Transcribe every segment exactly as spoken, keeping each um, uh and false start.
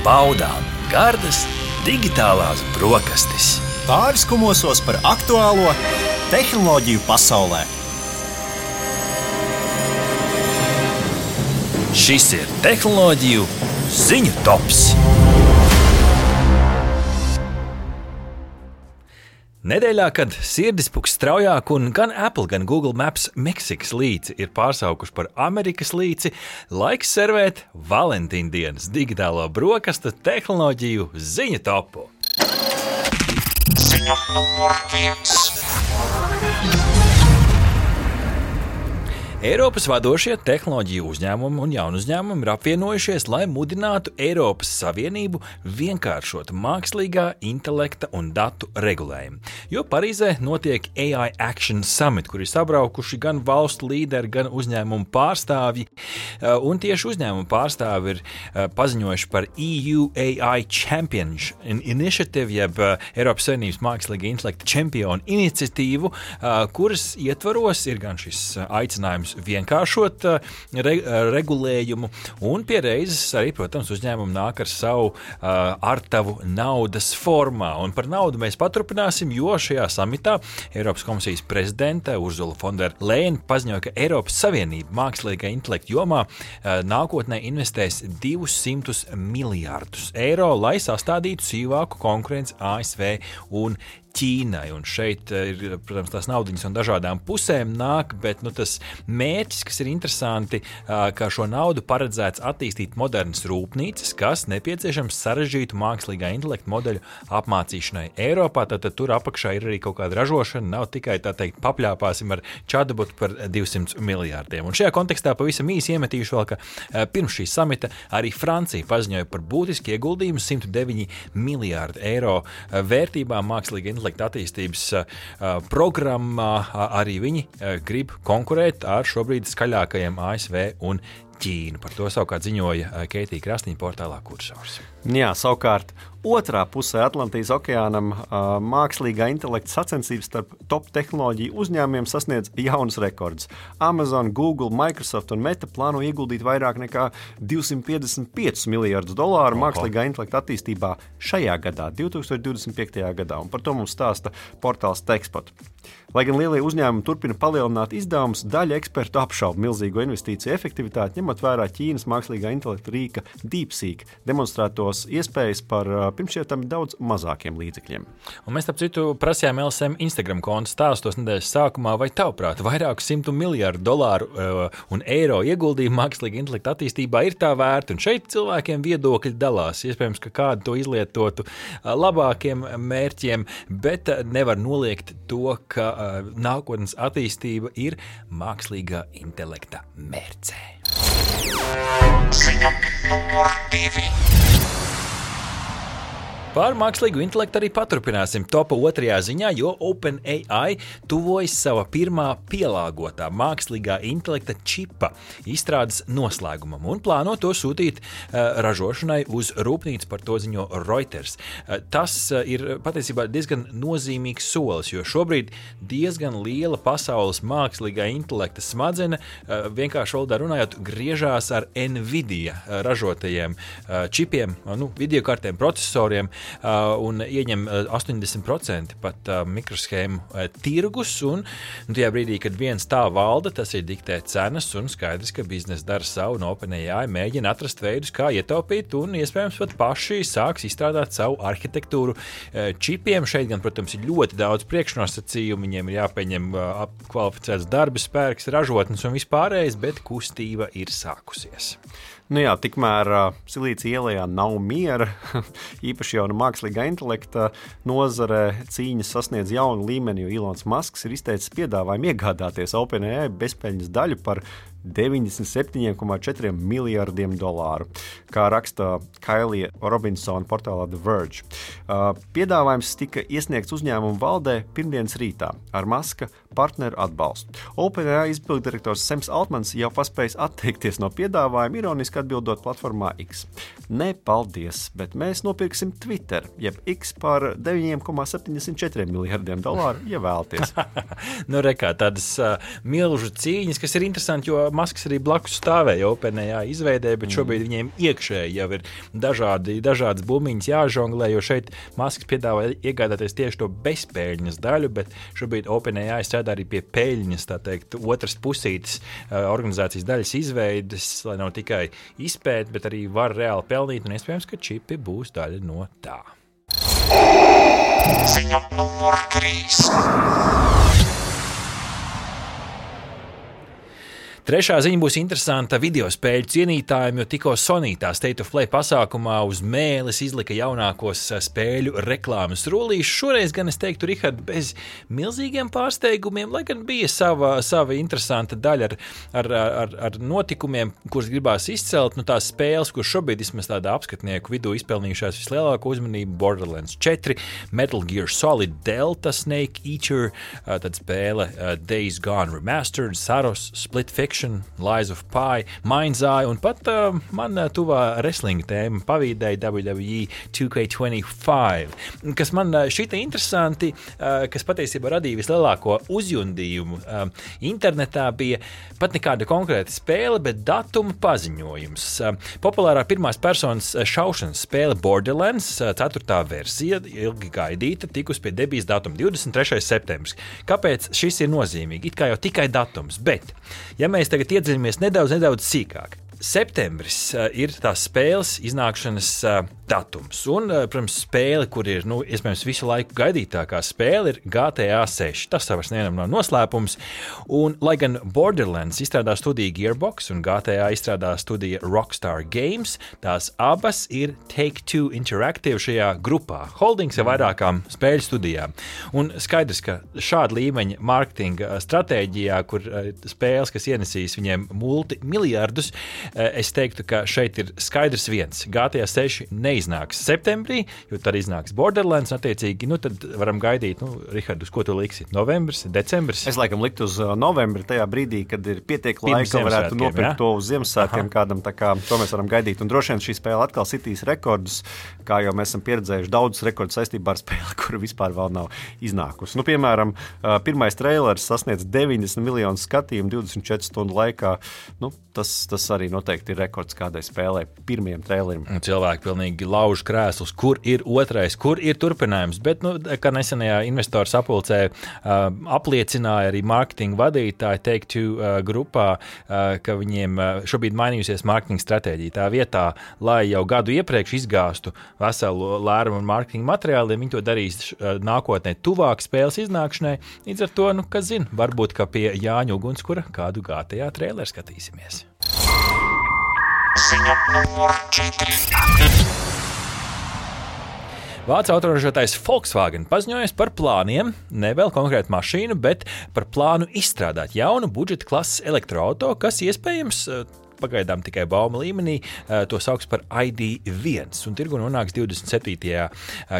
baudām gardas digitālās brokastis. Pāris kumosos par aktuālo tehnoloģiju pasaulē. Šis ir tehnoloģiju ziņu tops. Nedēļā, kad sirdispuks straujāk un gan Apple, gan Google Maps Meksikas līci ir pārsaukuši par Amerikas līci, laiks servēt Valentīna dienas digitālo brokastu tehnoloģiju ziņu topu. Ziņa numur viens. Eiropas vadošie tehnoloģiju uzņēmumi un jaunu uzņēmumi ir apvienojušies, lai mudinātu Eiropas Savienību vienkāršot mākslīgā intelekta un datu regulējumu. Jo Parīzē notiek A I Action Summit, kur ir sabraukuši gan valstu līderi, gan uzņēmumu pārstāvji. Un tieši uzņēmumu pārstāvji ir paziņojuši par E U A I Champions Initiative, jeb Eiropas Savienības mākslīgā intelekta čempionu iniciatīvu, kuras ietvaros ir gan šis aicinājums vienkāršot re, regulējumu, un pie reizes arī, protams, uzņēmumi nāk ar savu uh, artavu naudas formā. Un par naudu mēs paturpināsim, jo šajā samitā Eiropas komisijas prezidente Ursula von der Leyen paziņoja, ka Eiropas Savienība mākslīgā intelekta jomā uh, nākotnē investēs divsimt miljārdus eiro, lai sastādītu sīvāku konkurenci A S V un Ķīnai, un šeit ir, protams, tās naudiņas un dažādām pusēm nāk, bet nu, tas mērķis, kas ir interesanti, ka šo naudu paredzēts attīstīt modernas rūpnīcas, kas nepieciešams sarežģītu mākslīgā intelekta modeļu apmācīšanai Eiropā, tad, tad tur apakšā ir arī kaut kāda ražošana, nav tikai, tā teikt, papļāpāsim ar chatbotu par divsimt miljārdiem. Un šajā kontekstā pavisam īsi iemetīšu vēl, ka pirms šī samita arī Francija paziņoja par būtiski ieguldījumu simt deviņi miljārdi eiro vērtībā mākslīgā intelekta attīstības uh, programmā. Arī viņi uh, grib konkurēt ar šobrīd skaļākajiem A S V un Ķīnu. Par to savukārt ziņoja uh, Keitija Krasniņa portālā Kursors. Jā, savukārt otrā pusē Atlantijas okeānam uh, mākslīgā intelekta sacensības starp top tehnoloģiju uzņēmumiem sasniedz jaunus rekordus. Amazon, Google, Microsoft un Meta plāno ieguldīt vairāk nekā divsimt piecdesmit piecus miljardus dolāru Oho. mākslīgā intelekta attīstībā šajā gadā, divtūkstoš divdesmit piektajā gadā, un par to mums stāsta portāls Techspot. Lai gan lielie uzņēmumi turpina palielināt izdevumus, daļa ekspertu apšauba milzīgo investīciju efektivitāti, ņemot vērā Ķīnas mākslīgā intelekta rīka DeepSeek demonstrētos iespējas par pirms šiem daudz mazākiem līdzekļiem. Un mēs, starp citu, prasījām L S M Instagram kontu stāstos nedēļas sākumā, vai tavuprāt vairāku simtu miljārdu dolāru uh, un eiro ieguldījumu mākslīgā intelekta attīstībā ir tā vērta, un šeit cilvēkiem viedokļi dalās. Iespējams, ka kādu to izlietotu uh, labākiem mērķiem, bet uh, nevar noliegt to, ka uh, nākotnes attīstība ir mākslīgā intelekta mērcē. Ziņa numur divi. Par mākslīgu intelektu arī paturpināsim topa otrajā ziņā, jo OpenAI tuvojas sava pirmā pielāgotā mākslīgā intelekta čipa izstrādes noslēgumam un plāno to sūtīt uh, ražošanai uz rūpnīcu, par to ziņo Reuters. Uh, tas uh, ir patiesībā diezgan nozīmīgs solis, jo šobrīd diezgan liela pasaules mākslīgā intelekta smadzeņa, uh, vienkārši valodā runājot, griežās ar Nvidia ražotajiem uh, čipiem, uh, nu, videokartēm, procesoriem, Uh, un ieņem uh, astoņdesmit procenti pat uh, mikroshēmu uh, tirgus, un nu, tajā brīdī, kad viens tā valda, tas ir diktē cenas, un skaidrs, ka biznesa dara savu, un OpenAI mēģina atrast veidus, kā ietaupīt, un iespējams pat paši sāks izstrādāt savu arhitektūru uh, čipiem. Šeit gan, protams, ir ļoti daudz priekšnosacījumu, viņiem ir jāpieņem uh, kvalificēts darba spēks, ražotnes un vispārējais, bet kustība ir sākusies. Nu jā, tikmēr uh, Silīcija ielējā nav miera, īpaši jau no mākslīgā intelekta nozare cīņas sasniedz jaunu līmeni, jo Elons Musks ir izteicis piedāvājumu iegādāties OpenAI bezpeļņas daļu par deviņdesmit septiņi komats četri miljardiem dolāru, kā raksta Kailija Robinsona portālā The Verge. Uh, piedāvājums tika iesniegts uzņēmumu valdē pirmdienas rītā ar Muska partneru atbalstu. OpenAI izpilddirektors Sams Altmans jau paspējis atteikties no piedāvājuma, ironiski atbildot platformā X. Ne, paldies, bet mēs nopirksim Twitter, jeb X par deviņi komats septiņdesmit četri miljardiem dolāru, ja vēlties. Nu, rekā, tādas uh, milžu cīņas, kas ir interesanti, jo Masks arī blakus stāvēja OpenAI izveidē, bet šobrīd viņiem iekšēji jau ir dažādi, dažādas bumiņas jāžonglē, jo šeit Masks piedāvā iegādāties tieši to bezpēļņas daļu, bet šobrīd OpenAI strādā arī pie peļņas, tā teikt, otras pusītes organizācijas daļas izveides, lai nav tikai izpēt, bet arī var reāli pelnīt, un iespējams, ka čipi būs daļa no tā. Ziņa numur trīs. Trešā ziņa būs interesanta video spēļu cienītājiem, jo tikko Sony tā State of Play pasākumā uz mēles izlika jaunākos spēļu reklāmas rullīšus. Šoreiz gan es teiktu, Rihard, bez milzīgiem pārsteigumiem, lai gan bija sava, sava interesanta daļa ar, ar, ar, ar notikumiem, kurus gribās izcelt. Nu, tās spēles, kuras šobrīd vismaz tādā apskatnieku vidū izpelnījušās vislielāko uzmanību, Borderlands četri, Metal Gear Solid Delta, Snake Eater, tad spēle Days Gone Remastered, Saros, Split Fiction, Lies of Pi, Mind's Eye un pat uh, man uh, tuvā wrestling tēma pavīdēja W W E two K twenty-five, kas man uh, šita interesanti, uh, kas patiesībā radīja vislielāko uzjundījumu uh, internetā, bija pat nekāda konkrēta spēle, bet datuma paziņojums. Uh, populārā pirmās personas šaušanas spēle Borderlands, uh, ceturtā versija, ilgi gaidīta, tikus pie debijas datuma divdesmit trešais septembris. Kāpēc šis ir nozīmīgi? It kā jau tikai datums, bet, ja mēs tagad iedziļamies nedaudz, nedaudz sīkāk. Septembris uh, ir tās spēles iznākšanas uh, datums. Un, uh, protams, spēle, kur ir, nu, iespējams, visu laiku gaidītākā spēle, ir G T A seši. Tas savas nevienam nav noslēpums. Un, lai gan Borderlands izstrādā studija Gearbox un G T A izstrādā studija Rockstar Games, tās abas ir Take-Two Interactive šajā grupā. Holdings ar vairākām spēļu studijām. Un skaidrs, ka šāda līmeņa marketinga stratēģijā, kur uh, spēles, kas ienesīs viņiem multimiljardus, es teiktu, ka šeit ir skaidrs viens. G T A seši neiznāks septembrī, jo tad iznāks Borderlands, attiecīgi, nu tad varam gaidīt, nu, Rihard, uz ko tu liksi? Novembris, decembris? Es laikam liktu uz novembri, tajā brīdī, kad ir pietiek laika, varētu nopirkt ja? to uz Ziemassvētkiem kādam, tā kā to mēs varam gaidīt. Un droši vien šī spēle atkal sitīs rekordus, kā jau mēs esam pieredzējuši daudzus rekordus saistībā ar spēli, kura vispār vēl nav iznākusi. Nu, piemēram, pirmais trailers sasniedz deviņdesmit miljonus skatījumu divdesmit četru stundu laikā. Nu, tas, tas arī noteikti ir rekords kādai spēlē pirmiem traileriem. Cilvēki pilnīgi lauž krēslus, kur ir otrais, kur ir turpinājums, bet, nu, kā nesenajā investoru sapulcē uh, apliecināja arī mārketinga vadītāji Take-Two uh, grupā, uh, ka viņiem uh, šobrīd mainījusies mārketinga stratēģija. Tā vietā, lai jau gadu iepriekš izgāstu veselu lērumu un mārketinga materiāliem, viņi to darīs uh, nākotnē tuvāk spēles iznākšanai. Līdz ar to, nu, kas zina, varbūt, ka pie Jāņa Ugunskura kādu G T A traileru skatīsimies. Ziņa numur četri. Vācu autoražotājs Volkswagen paziņojas par plāniem, ne vēl konkrētu mašīnu, bet par plānu izstrādāt jaunu budžeta klases elektroauto, kas iespējams pagaidām tikai bauma līmenī, to sauks par I D viens, un tirgu nonāks divdesmit septītajā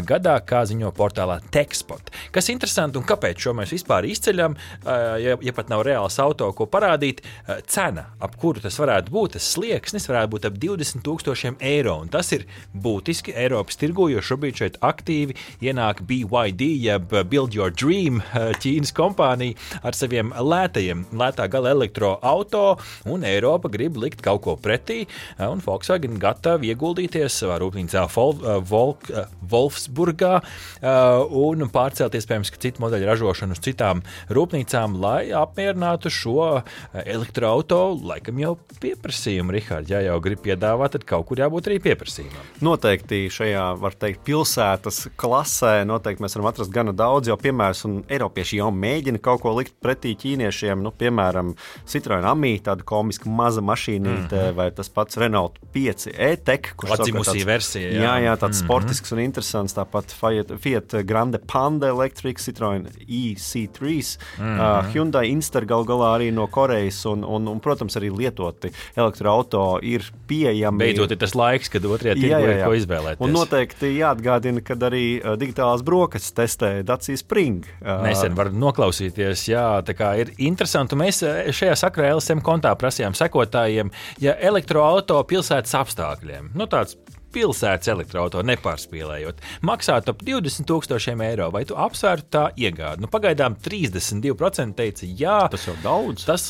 gadā, kā ziņo portālā Techspot. Kas interesanti un kāpēc šo mēs vispār izceļam, ja, ja pat nav reāls auto, ko parādīt, cena, ap kuru tas varētu būt, tas slieksnis varētu būt ap divdesmit tūkstošiem eiro, un tas ir būtiski Eiropas tirgu, jo šobrīd šeit aktīvi ienāk B Y D, jeb Build Your Dream, Ķīnas kompānija ar saviem lētajiem, lētā gala elektroauto, un Eiropa grib likt kaut ko pretī, un Volkswagen gatavi ieguldīties savā rūpnīcā Wolfsburgā un pārcelt iespējams, ka citu modeļu ražošanu uz citām rūpnīcām, lai apmierinātu šo elektroauto, laikam jau pieprasījumu, Rihard, ja jau grib piedāvāt, tad kaut kur jābūt arī pieprasījumam. Noteikti šajā, var teikt, pilsētas klasē, noteikti mēs varam atrast gana daudz, jau piemērs, un Eiropieši jau mēģina kaut ko likt pretī ķīniešiem, nu, piemēram, Citroen Ami, tāda komiska maza mašīna, Mm-hmm. vai tas pats Renault pieci E-Tech, kurš atzimusī versija. Jā, jā, jā tāds mm-hmm. sportisks un interesants, tāpat Fiat, Fiat Grande Panda Electric, Citroen E C tri, mm-hmm. uh, Hyundai Inster gal galā arī no Korejas, un, un, un, protams, arī lietoti elektroauto ir pieejami. Beidzot ir tas laiks, kad otrajā tirgu ir ko izvēlēties. Un noteikti jāatgādina, kad arī uh, digitālās brokastis testē Dacia Spring. Uh, Nesen var noklausīties, jā, tā kā ir interesanti. Mēs šajā sakarā L S M kontā prasījām sekotājiem, ja elektroauto pilsētas apstākļiem, nu tāds pilsētas elektroauto nepārspīlējot, maksātu ap divdesmit tūkstošiem eiro, vai tu apsvērtu tā iegādi? Nu, pagaidām trīsdesmit divi procenti teica jā. Tas jau daudz. Tas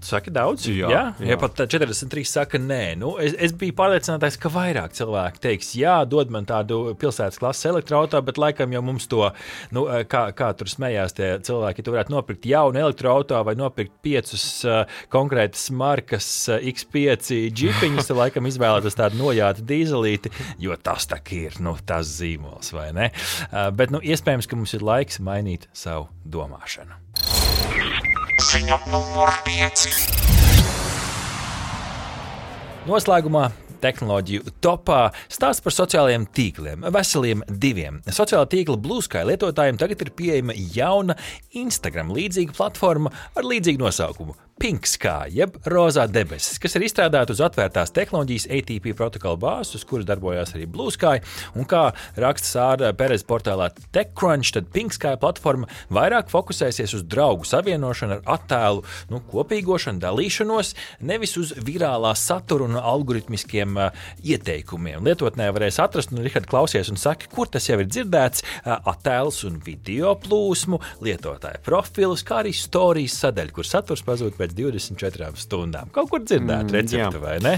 tu saki daudz? Jā, jā? jā. Ja pat četrdesmit trīs saka nē. Nu, es, es biju pārliecinātais, ka vairāk cilvēki teiks, jā, dod man tādu pilsētas klases elektroauto, bet laikam jau mums to, nu, kā, kā tur smējās tie cilvēki, ja tu varētu nopirkt jaunu elektroauto vai nopirkt piecus uh, konkrētas markas uh, X pieci džipiņus, tad laikam izvēlētas tādu nojātu dīzelīti, jo tas tak ir, nu, tas zīmols, vai ne? Uh, bet, nu, iespējams, ka mums ir laiks mainīt savu domāšanu. Ziņa numur pieci. Noslēgumā tehnoloģiju topā stāsts par sociālajiem tīkliem, veseliem diviem. Sociālā tīkla Blue Sky lietotājiem tagad ir pieejama jauna Instagram līdzīga platforma ar līdzīgu nosaukumu Pink Sky, jeb rozā debesis, kas ir izstrādāta uz atvērtās tehnoloģijas A T P protokola bāzes, uz kuras darbojās arī Blue Sky, un kā raksta Sāra Perez portālā TechCrunch, tad Pink Sky platforma vairāk fokusēsies uz draugu savienošanu ar attēlu, nu, kopīgošanu, dalīšanos, nevis uz virālā satura un algoritmiskiem uh, ieteikumiem. Lietotnē varēs atrast, un Rihard klausies un saka, kur tas jau ir dzirdēts, uh, attēlus un video plūsmu, lietotāja profilus, kā arī storijas sadaļu, kur saturs pazūd pēc divdesmit četrām stundām. Kaut kur dzirdēt recepti, vai ne?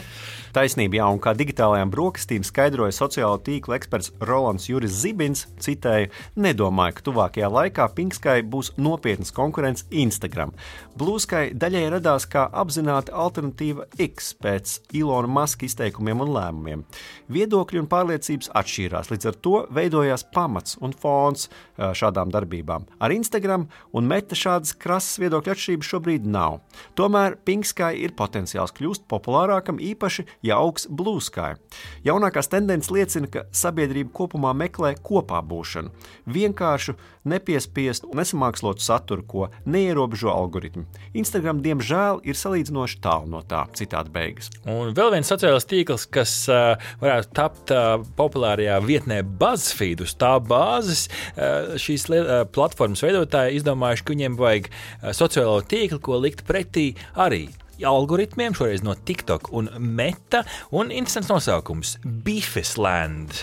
Taisnība, jā, un kā digitālajām brokastīm skaidroja sociālo tīklu eksperts Rolands Juris Zibins, citēju, nedomāju, ka tuvākajā laikā Pink Sky būs nopietnas konkurence Instagram. Blue Sky daļai radās kā apzināta alternatīva X pēc Ilona Maska izteikumiem un lēmumiem. Viedokļi un pārliecības atšķīrās, līdz ar to veidojās pamats un fons šādām darbībām. Ar Instagram un Meta šādas krasas viedokļu atšķirības šobrīd nav. Tomēr Pink Sky ir potenciāls kļūst populārākam, īpaši, ja augs Blue Sky. Jaunākās tendences liecina, ka sabiedrība kopumā meklē kopā būšanu, vienkāršu, nepiespiestu un nesamākslotu saturu, ko neierobežo algoritmi. Instagram, diemžēl, ir salīdzinoši tālu no tā, citāta beigas. Un vēl viens sociālais tīkls, kas uh, varētu tapt uh, populārajā vietnē BuzzFeed, uz tā bāzes uh, šīs uh, platformas veidotāji izdomājuši, ka viņiem vajag uh, sociālo tīklu, ko likt pretī arī algoritmiem, šoreiz no TikTok un Meta, un interesants nosaukums – Beefisland.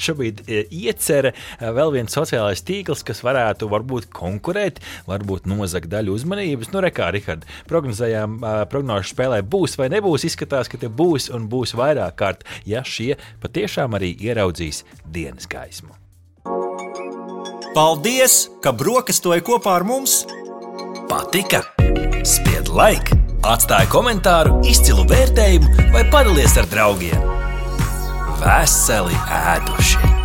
Šobrīd iecere vēl viens sociālais tīkls, kas varētu varbūt konkurēt, varbūt nozagt daļu uzmanības. Nu, rekā, Rihard, prognozējām, prognožu spēlē būs vai nebūs, izskatās, ka te būs un būs vairāk kārt, ja šie patiešām arī ieraudzīs dienas gaismu. Paldies, ka brokastoji kopā ar mums! Patika? Spied like, atstāj komentāru, izcilu vērtējumu vai padalies ar draugiem. Veseli ēduši!